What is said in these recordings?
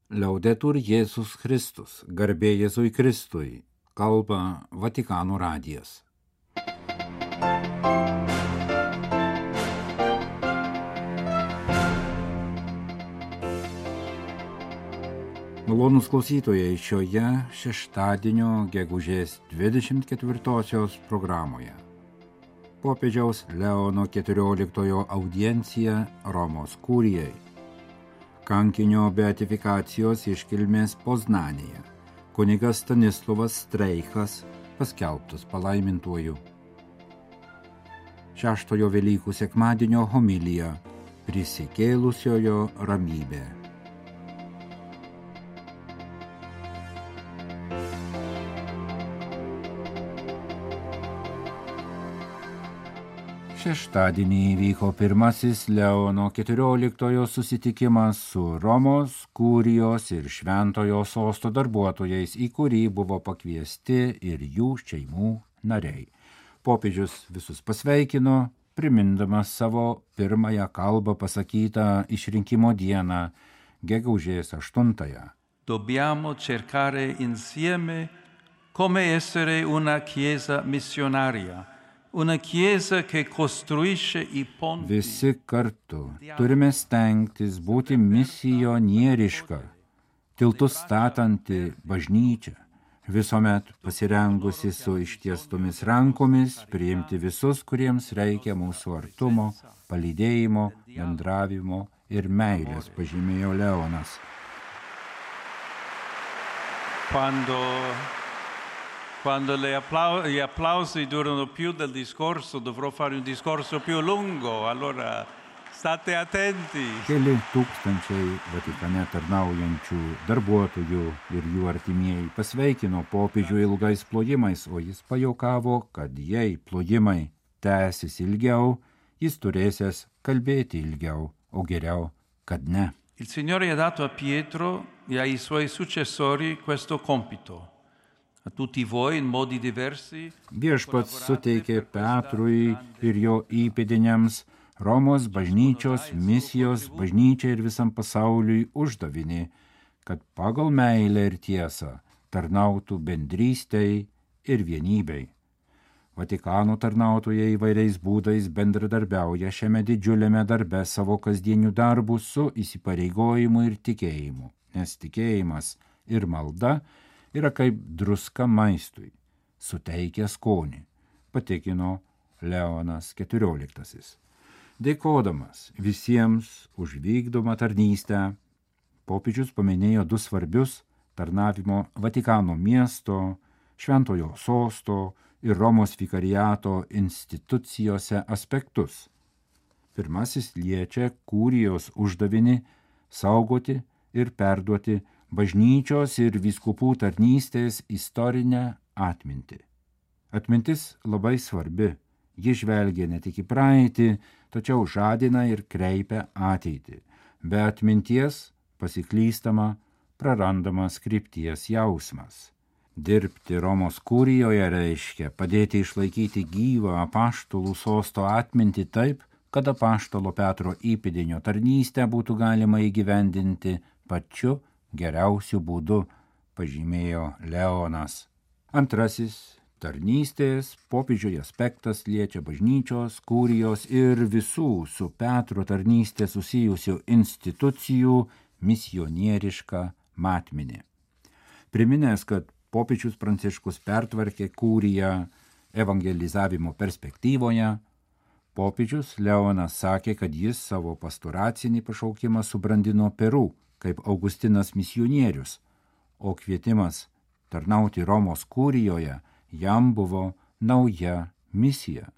Liaudetur Jėzus Kristus, garbė Jėzui Kristui, kalba Vatikano radijas. Malonūs klausytojai, šioje šeštadienio gegužės 24-osios programoje. Popiežiaus Leono XIV audiencija Romos kurijai. Kankinio beatifikacijos iškilmės Poznanėje. Kunigas Stanislovas Streichas paskelbtas palaimintuoju. Šeštojo Velykų sekmadienio homilija Prisikėlusiojo ramybė. Šeštadienį įvyko pirmasis Leono XIV susitikimas su Romos, Kurijos ir Šventojo sosto darbuotojais, į kurį buvo pakviesti ir jų šeimų nariai. Popiežius visus pasveikino, primindamas savo pirmąją kalbą pasakytą išrinkimo dieną, gegužės 8. Dobbiamo cercare insieme come essere una chiesa missionaria. Una chiesa che costruisce I ponti. Visi kartu turime stengtis būti misionieriška, tiltus statanti bažnyčia, visuomet pasirengusi su ištiestomis rankomis priimti visus, kuriems reikia mūsų artumo, palydėjimo, bendravimo ir meilės, pažymėjo Leonas. Quando gli applausi durano più del discorso, dovrò fare un discorso più lungo, allora state attenti. Keli tūkstančiai Vatikane tarnaujančių darbuotojų ir jų artimieji pasveikino popiežių ilgais plojimais, o jis pajuokavo, kad jei plojimai tęsis ilgiau, jis turėsės kalbėti ilgiau, o geriau, kad ne. Il Signore ha dato a Pietro e ai suoi successori questo compito. A tutti voi in modi diversi. Viešpats suteikė Petrui ir jo įpėdiniams Romos bažnyčios, misijos bažnyčiai ir visam pasauliui uždavinį, kad pagal meilę ir tiesą tarnautų bendrystei ir vienybei. Vatikano tarnautojai įvairiais būdais bendradarbiauja šiame didžiuliame darbe savo kasdienių darbų su įsipareigojimu ir tikėjimu, nes tikėjimas ir malda yra kaip druska maistui, suteikia skonį, patikino Leonas XIV. Dėkodamas visiems už vykdomą tarnystę, popiežius paminėjo du svarbius tarnavimo Vatikano miesto, Šventojo sosto ir Romos vikariato institucijose aspektus. Pirmasis liečia kurijos uždavinį saugoti ir perduoti bažnyčios ir vyskupų tarnystės istorinę atmintį. Atmintis labai svarbi, ji žvelgia ne tik į praeitį, tačiau žadina ir kreipia ateitį. Be atminties pasiklystama, prarandamas krypties jausmas. Dirbti Romos kurijoje reiškia padėti išlaikyti gyvą apaštalų sosto atmintį taip, kad apaštalo Petro įpėdinio tarnystę būtų galima įgyvendinti pačiu geriausiu būdu, pažymėjo Leonas. Antrasis tarnystės popiežiui aspektas liečia bažnyčios, kurijos ir visų su Petro tarnystė susijusių institucijų misionierišką matmenį. Priminęs, kad popiežius Pranciškus pertvarkė kuriją evangelizavimo perspektyvoje, popiežius Leonas sakė, kad jis savo pastoracinį pašaukimą subrandino Peru, kaip Augustinas misionierius, o kvietimas tarnauti Romos kurijoje jam buvo nauja misija,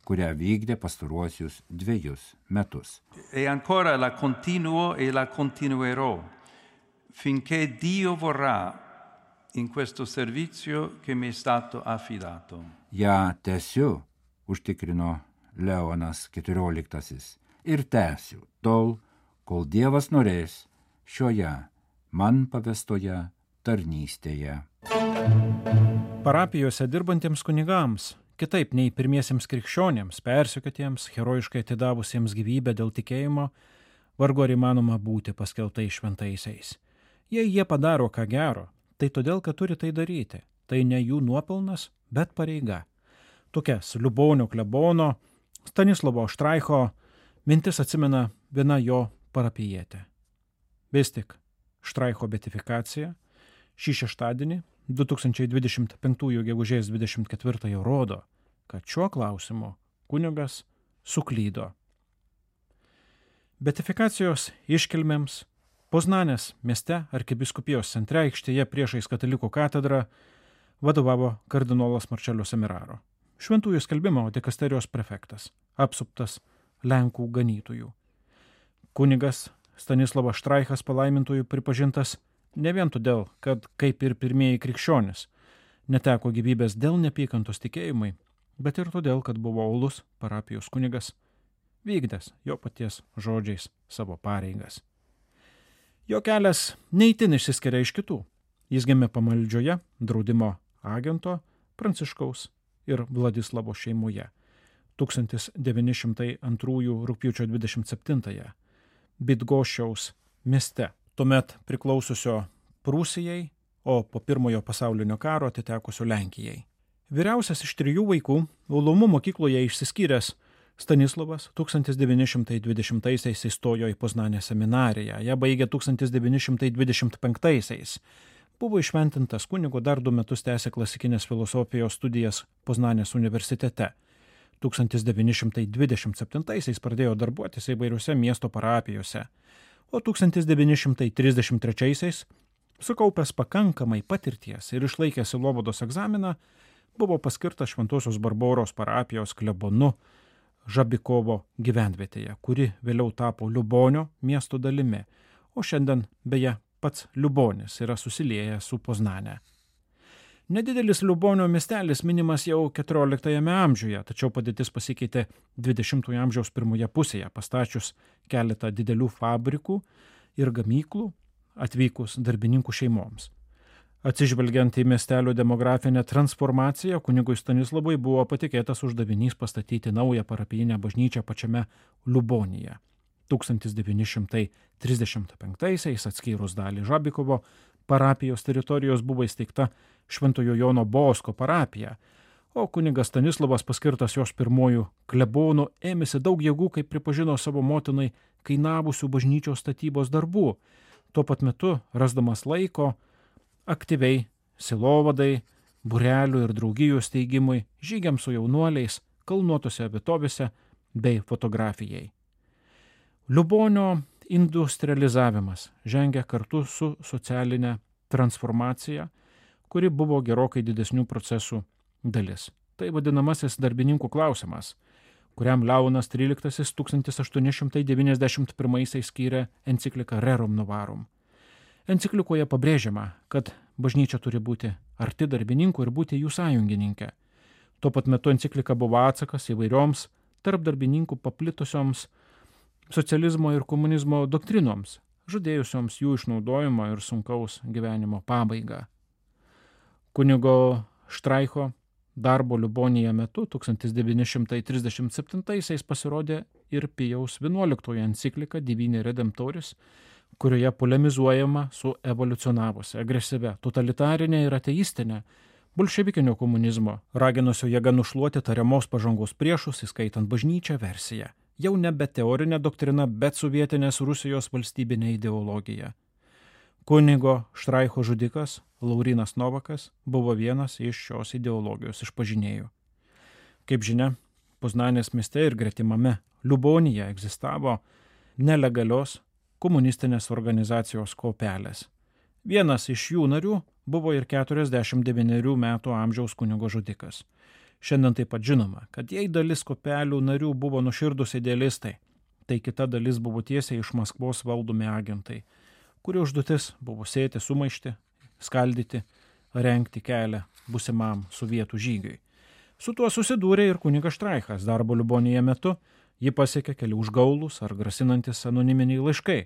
kurią vykdė pastaruosius 2 metus. E ancora la continuo e la continuerò, finché Dio vorrà in questo servizio che mi è stato affidato. Ja tęsiu, užtikrino Leonas XIV, ir tęsiu tol, kol Dievas norės šioje man pavestoje tarnystėje. Parapijose dirbantiems kunigams, kitaip nei pirmiesiems krikščionėms, persekiotiems, herojiškai atidavusiems gyvybę dėl tikėjimo, vargu ar įmanoma būti paskelbtais šventaisiais. Jei jie padaro ką gero, tai todėl, kad turi tai daryti. Tai ne jų nuopelnas, bet pareiga. Tokias Liubonio klebono Stanislovo Štraicho mintis atsimena viena jo parapijietė. Vis tik Štraicho beatifikacija šį šeštadienį 2025 gegužės 24 rodo, kad šiuo klausimu kunigas suklydo. Beatifikacijos iškilmėms Poznanės mieste arkivyskupijos centre aikštėje priešais katalikų katedrą vadovavo kardinolas Marčelio Semiraro, šventųjų skelbimo dikasterijos prefektas, apsuptas Lenkų ganytojų. Kunigas Stanislavas Štraichas palaimintųjų pripažintas ne vien todėl, kad, kaip ir pirmieji krikščionys, neteko gyvybės dėl neapykantos tikėjimai, bet ir todėl, kad buvo uolus parapijos kunigas, vykdęs jo paties žodžiais savo pareigas. Jo kelias neįtin išsiskiria iš kitų. Jis gimė pamaldžioje draudimo agento Pranciškaus ir Vladislavo šeimoje 1902 rugpjūčio 27 Bydgoščiaus mieste, tuomet priklaususio Prūsijai, o po Pirmojo pasaulinio karo atitekusio Lenkijai. Vyriausias iš 3 vaikų, uolumu mokykloje išsiskyręs Stanislavas 1920-aisiais įstojo į Poznanės seminariją, ją baigė 1925-aisiais. Buvo išventintas kunigo, dar 2 metus tęsė klasikinės filosofijos studijas Poznanės universitete. 1927-aisiais pradėjo darbuotis įvairiuose miesto parapijose, o 1933-aisiais, sukaupęs pakankamai patirties ir išlaikęs sielovados egzaminą, buvo paskirtas Šventosios Barboros parapijos klebonu Žabikovo gyvenvietėje, kuri vėliau tapo Liubonio miesto dalimi, o šiandien beje pats Liubonis yra susiliejęs su Poznane. Nedidelis Liubonio miestelis minimas jau 14 amžiuje, tačiau padėtis pasikeitė 20 amžiaus pirmoje pusėje, pastačius keletą didelių fabrikų ir gamyklų atvykus darbininkų šeimoms. Atsižvelgiant į miestelio demografinę transformaciją, kunigui Stanislavui buvo patikėtas uždavinys pastatyti naują parapijinę bažnyčią pačiame Liubonyje. 1935-aisiais atskyrus dalį Žabikovo parapijos teritorijos buvo įsteigta Šventojo Jono Bosko parapija, o kunigas Stanislavas, paskirtas jos pirmojų klebonų, ėmėsi daug jėgų, kaip pripažino savo motinai, kainavusių bažnyčios statybos darbų, tuo pat metu rasdamas laiko aktyviai sielovadai, būrelių ir draugijų steigimui, žygiams su jaunuoliais, kalnuotose vietovėse bei fotografijai. Liubonio industrializavimas žengia kartu su socialinė transformacija, kuri buvo gerokai didesnių procesų dalis. Tai vadinamasis darbininkų klausimas, kuriam Leonas XIII 1891 skyrė encikliką Rerum Novarum. Enciklikoje pabrėžiama, kad bažnyčia turi būti arti darbininkų ir būti jų sąjungininkė. Tuo pat metu enciklika buvo atsakas įvairioms tarp darbininkų paplitusioms socializmo ir komunizmo doktrinoms, žadėjusioms jų išnaudojimo ir sunkaus gyvenimo pabaigą. Kunigo Štraicho darbo Liubonyje metu 1937 pasirodė ir Pijaus XI enciklika Divini Redemptoris, kurioje polemizuojama su evoliucionavusia, agresyvia, totalitarinė ir ateistinė bolševikinio komunizmo, raginusio jėga nušluoti tariamos pažangos priešus, įskaitant bažnyčią versiją. Jau nebe teorinė doktrina, bet sovietinės Rusijos valstybinė ideologija. Kunigo Štraicho žudikas Laurynas Novakas buvo vienas iš šios ideologijos išpažinėjų. Kaip žinia, Poznanės mieste ir gretimame Liubonyje egzistavo nelegalios komunistinės organizacijos kopelės. Vienas iš jų narių buvo ir 49 metų amžiaus kunigo žudikas. Šiandien taip pat žinoma, kad jei dalis kopelių narių buvo nuoširdūs idealistai, tai kita dalis buvo tiesiai iš Maskvos valdomi agentai, kurių užduotis buvo sėti sumaištį, skaldyti, rengti kelią būsimam sovietų žygiui. Su tuo susidūrė ir kunigas Štraichas darbo Liubonyje metu. Jį pasiekė keli užgaulūs ar grasinantis anoniminiai laiškai,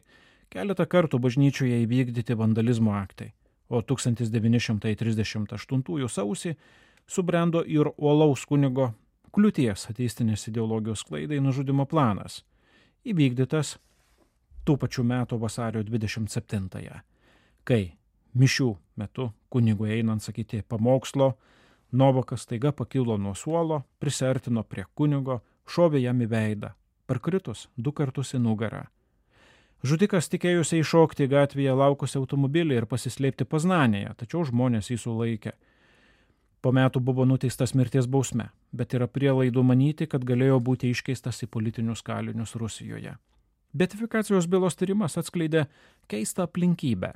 keletą kartų bažnyčioje įvykdyti vandalizmo aktai, o 1938 sausį subrendo ir uolaus kunigo Kliūties ateistinės ideologijos sklaidai nužudymo planas, įvykdytas tų pačių metų vasario 27-ąją. Kai mišių metu kunigui einant sakyti pamokslo, Novakas staiga pakilo nuo suolo, prisiartino prie kunigo, šovė jam į veidą, parkritus 2 kartus į nugarą. Žudikas tikėjusi iššokti gatvėje laukusi automobilį ir pasislėpti Poznanėje, tačiau žmonės jį sulaikė. Po metų buvo nuteistas mirties bausme, bet yra prielaidų manyti, kad galėjo būti iškeistas į politinius kalinius Rusijoje. Beatifikacijos bylos tyrimas atskleidė keistą aplinkybę.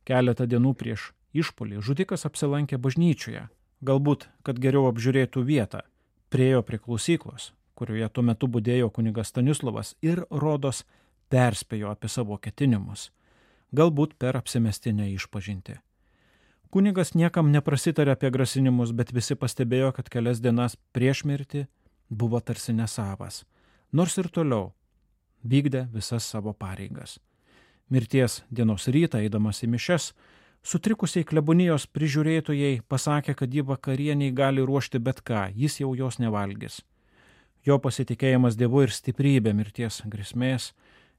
Keletą dienų prieš išpuolį žudikas apsilankė bažnyčioje, galbūt, kad geriau apžiūrėtų vietą, priėjo prie klausyklos, kurioje tuo metu budėjo kunigas Stanislovas ir rodos perspėjo apie savo ketinimus, galbūt per apsimestinę išpažintį. Kunigas niekam neprasitarė apie grasinimus, bet visi pastebėjo, kad kelias dienas prieš mirtį buvo tarsi nesavas, nors ir toliau vykdė visas savo pareigas. Mirties dienos rytą, eidamas į mišes, sutrikusiai klebonijos prižiūrėtojai pasakė, kad jį vakarieniai gali ruošti bet ką, jis jau jos nevalgys. Jo pasitikėjimas Dievu ir stiprybė mirties grėsmės,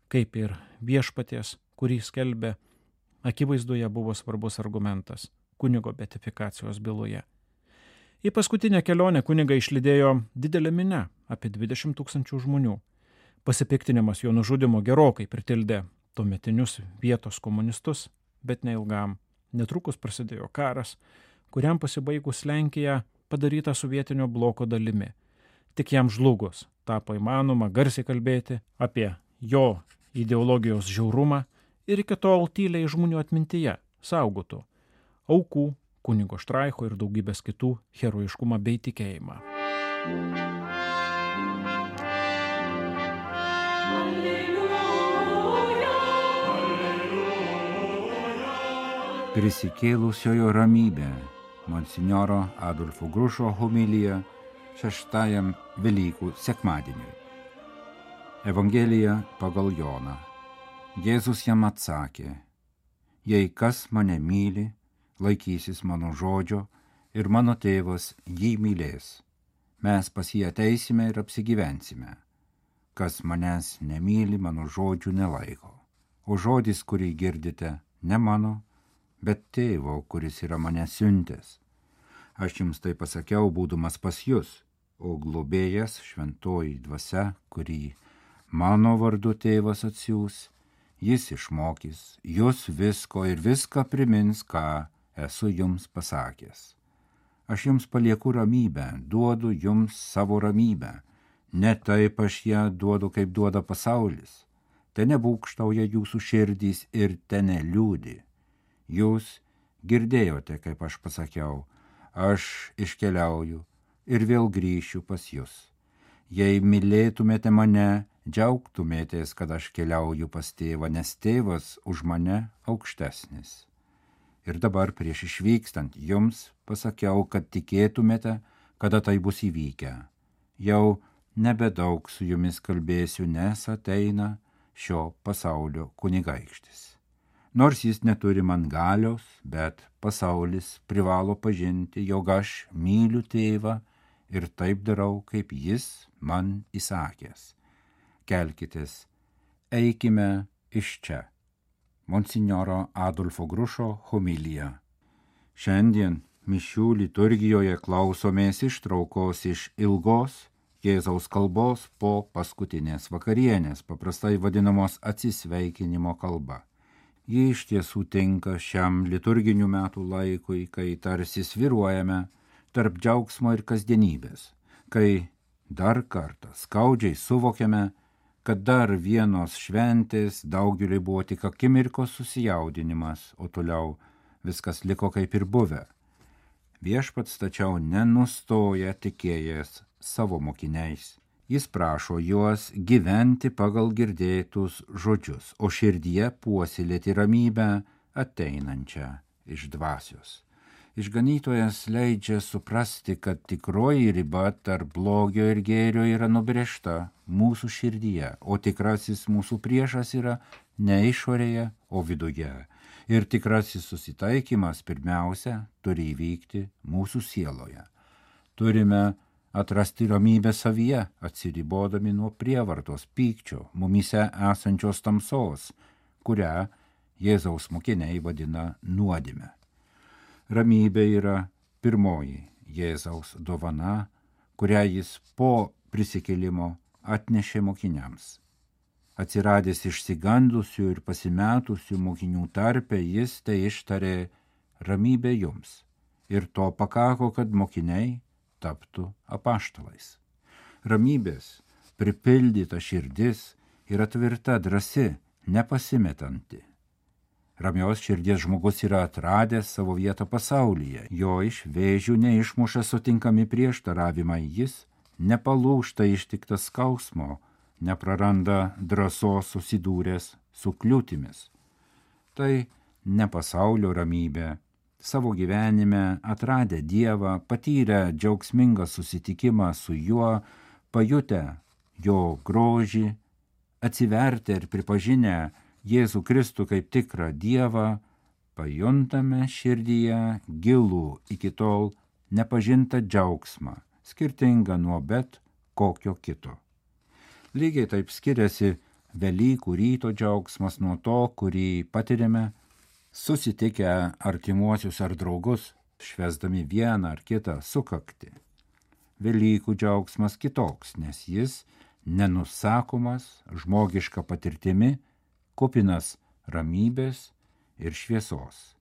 kaip ir viešpaties, kurį skelbė, akivaizdoje buvo svarbus argumentas kunigo beatifikacijos byloje. Į paskutinę kelionę kunigą išlydėjo didelė minia, apie 20 000 žmonių. Pasipiktinimas jo nužudimo gerokai pritildė tuometinius vietos komunistus, bet neilgam. Netrukus prasidėjo karas, kuriam pasibaigus Lenkija padaryta sovietinio bloko dalimi. Tik jam žlugus tapo įmanoma garsiai kalbėti apie jo ideologijos žiaurumą ir iki tol tyliai žmonių atmintyje saugotų aukų, kunigo Štraicho ir daugybės kitų herojiškumą bei tikėjimą. Prisikėlusiojo ramybė, monsinjoro Adolfo Grušo homilija 6 Velykų sekmadieniui. Evangelija pagal Joną. Jėzus jam atsakė: jei kas mane myli, laikysis mano žodžio ir mano tėvas jį mylės. Mes pas jį ateisime ir apsigyvensime. Kas manęs nemyli, mano žodžių nelaiko. O žodis, kurį girdite, ne mano, bet tėvo, kuris yra mane siuntęs. Aš jums tai pasakiau, būdamas pas jūs, o globėjas, šventoji dvasia, kurį mano vardu tėvas atsiųs, jis išmokys jūs visko ir viską primins, ką esu jums pasakęs. Aš jums palieku ramybę, duodu jums savo ramybę. Ne taip aš ją duodu, kaip duoda pasaulis. Te nebūkštauja jūsų širdys ir te neliūdi. Jūs girdėjote, kaip aš pasakiau, aš iškeliauju ir vėl grįšiu pas jūs. Jei mylėtumėte mane, džiaugtumėtės, kad aš keliauju pas tėvą, nes tėvas už mane aukštesnis. Ir dabar prieš išvykstant jums pasakiau, kad tikėtumėte, kada tai bus įvykę. Jau nebedaug su jumis kalbėsiu, nes ateina šio pasaulio kunigaikštis. Nors jis neturi man galios, bet pasaulis privalo pažinti, jog aš myliu tėvą ir taip darau, kaip jis man įsakęs. Kelkitės, eikime iš čia. Monsinjoro Adolfo Grušo homilija. Šiandien mišių liturgijoje klausomės ištraukos iš ilgos Jėzaus kalbos po paskutinės vakarienės, paprastai vadinamos atsisveikinimo kalba. Ji iš tiesų tinka šiam liturginių metų laikui, kai tarsi svyruojame tarp džiaugsmo ir kasdienybės, kai dar kartą skaudžiai suvokiame, kad dar vienos šventės daugeliui buvo tik akimirkos susijaudinimas, o toliau viskas liko kaip ir buvę. Viešpats tačiau nenustoja tikėjęs savo mokiniais. Jis prašo juos gyventi pagal girdėtus žodžius, o širdyje puoselėti ramybę ateinančią iš dvasios. Išganytojas leidžia suprasti, kad tikroji riba tarp blogio ir gėrio yra nubrėžta mūsų širdyje, o tikrasis mūsų priešas yra ne išorėje, o viduje. Ir tikrasis susitaikymas pirmiausia turi įvykti mūsų sieloje. Turime atrasti ramybę savyje, atsiribodami nuo prievartos, pykčio, mumyse esančios tamsos, kurią Jėzaus mokiniai vadina nuodėme. Ramybė yra pirmoji Jėzaus dovana, kurią jis po prisikėlimo atnešė mokiniams. Atsiradęs išsigandusių ir pasimetusių mokinių tarpe, jis tai ištarė: ramybė jums. Ir to pakako, kad mokiniai taptų apaštalais. Ramybės pripildyta širdis yra tvirta, drąsi, nepasimetanti. Ramios širdies žmogus yra atradęs savo vietą pasaulyje, jo iš vėžių neišmuša sutinkami prieštaravimai, jis nepalūžta ištiktas skausmo, nepraranda drąsos susidūręs su kliūtimis. Tai ne pasaulio ramybė. Savo gyvenime atradę Dievą, patyrę džiaugsmingą susitikimą su juo, pajutę jo grožį, atsivertę ir pripažinę Jėzų Kristų kaip tikrą Dievą, pajuntame širdyje gilų iki tol nepažintą džiaugsmą, skirtingą nuo bet kokio kito. Lygiai taip skiriasi Velykų ryto džiaugsmas nuo to, kurį patiriame susitikę artimuosius ar draugus, švęsdami vieną ar kitą sukaktį. Velykų džiaugsmas kitoks, nes jis nenusakomas žmogiška patirtimi, kupinas ramybės ir šviesos.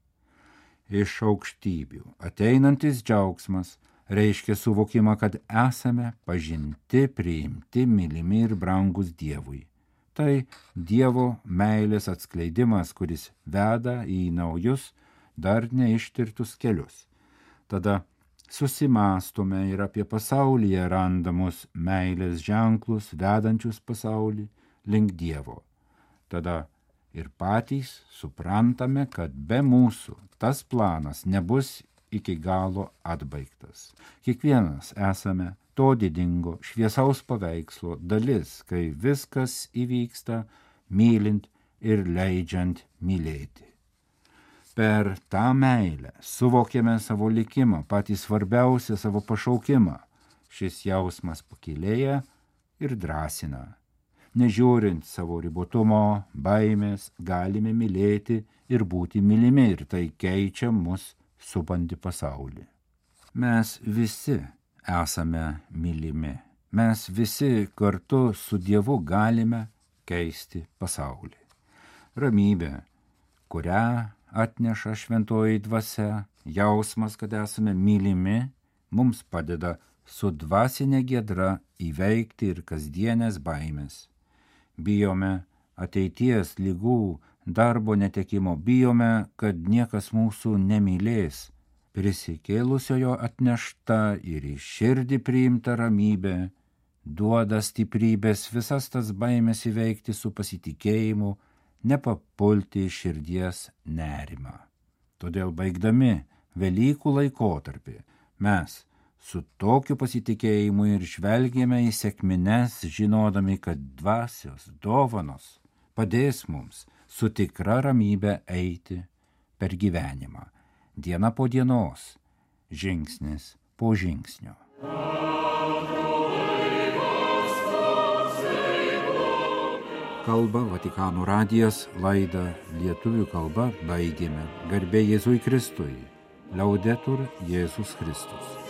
Iš aukštybių ateinantis džiaugsmas reiškia suvokimą, kad esame pažinti, priimti, mylimi ir brangus Dievui. Tai Dievo meilės atskleidimas, kuris veda į naujus, dar neištirtus kelius. Tada susimąstome ir apie pasaulyje randamus meilės ženklus, vedančius pasaulį link Dievo. Tada ir patys suprantame, kad be mūsų tas planas nebus iki galo atbaigtas. Kiekvienas esame to didingo šviesaus paveikslo dalis, kai viskas įvyksta mylint ir leidžiant mylėti. Per tą meilę suvokėme savo likimą, patį svarbiausią savo pašaukimą. Šis jausmas pakilėja ir drąsina. Nežiūrint savo ribotumo, baimės, galime mylėti ir būti mylimi, ir tai keičia mus supantį pasaulį. Mes visi esame mylimi. Mes visi kartu su Dievu galime keisti pasaulį. Ramybė, kurią atneša šventoji dvasia, jausmas, kad esame mylimi, mums padeda su dvasinė giedra įveikti ir kasdienės baimės. Bijome ateities ligų, darbo netekimo, bijome, kad niekas mūsų nemylės. Prisikėlusiojo atnešta ir į širdį priimta ramybė duoda stiprybės visas tas baimės įveikti su pasitikėjimu, nepapulti į širdies nerimą. Todėl baigdami Velykų laikotarpį mes su tokiu pasitikėjimu ir žvelgėme į sekmines, žinodami, kad dvasios dovanos padės mums su tikra ramybė eiti per gyvenimą, diena po dienos, žingsnis po žingsnio. Kalba Vatikano radijas, laidą lietuvių kalba baigėme. Garbė Jėzui Kristui. Laudetur Jėzus Kristus.